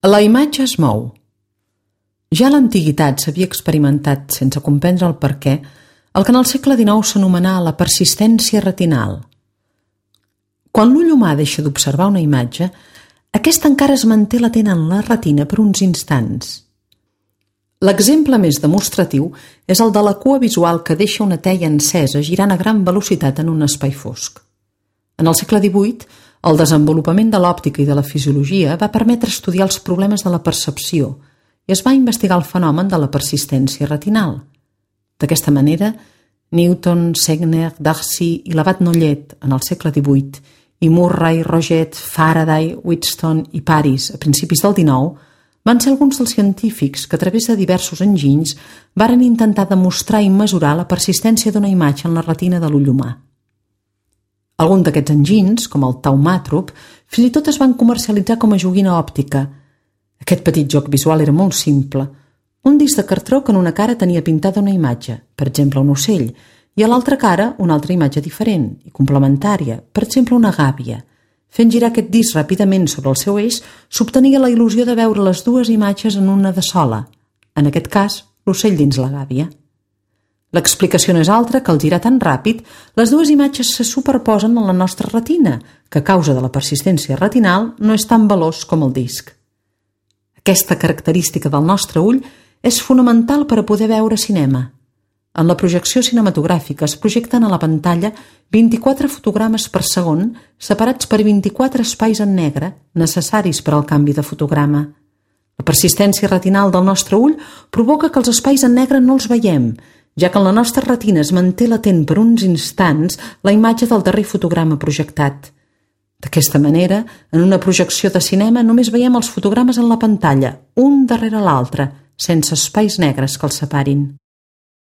La imatge es mou. Ja a l'antiguitat s'havia experimentat, sense comprendre el perquè, el que en el segle XIX s'anomenà la persistència retinal. Quan l'ull humà deixa d'observar una imatge, aquesta encara es manté latent en la retina per uns instants. L'exemple més demostratiu és el de la cua visual que deixa una teia encesa girant a gran velocitat en un espai fosc. En el segle XVIII, el desenvolupament de l'òptica i de la fisiologia va permetre estudiar els problemes de la percepció i es va investigar el fenomen de la persistència retinal. D'aquesta manera, Newton, Segner, Darcy i l'abat Nollet en el segle XVIII i Murray, Roget, Faraday, Wheatstone i Paris a principis del XIX van ser alguns dels científics que a través de diversos enginys varen intentar demostrar i mesurar la persistència d'una imatge en la retina de l'ull humà. Alguns d'aquests enginys, com el taumàtrop, fins i tot es van comercialitzar com a joguina òptica. Aquest petit joc visual era molt simple. Un disc de cartró que en una cara tenia pintada una imatge, per exemple un ocell, i a l'altra cara una altra imatge diferent i complementària, per exemple una gàbia. Fent girar aquest disc ràpidament sobre el seu eix, s'obtenia la il·lusió de veure les dues imatges en una de sola, en aquest cas, l'ocell dins la gàbia. L'explicació no és altra que al girar tan ràpid, les dues imatges se superposen en la nostra retina, que a causa de la persistència retinal no és tan veloç com el disc. Aquesta característica del nostre ull és fonamental per a poder veure cinema. En la projecció cinematogràfica es projecten a la pantalla 24 fotogrames per segon separats per 24 espais en negre necessaris per al canvi de fotograma. La persistència retinal del nostre ull provoca que els espais en negre no els veiem, ja que en la nostra retina es manté latent per uns instants la imatge del darrer fotograma projectat. D'aquesta manera, en una projecció de cinema només veiem els fotogrames en la pantalla, un darrere l'altre, sense espais negres que els separin.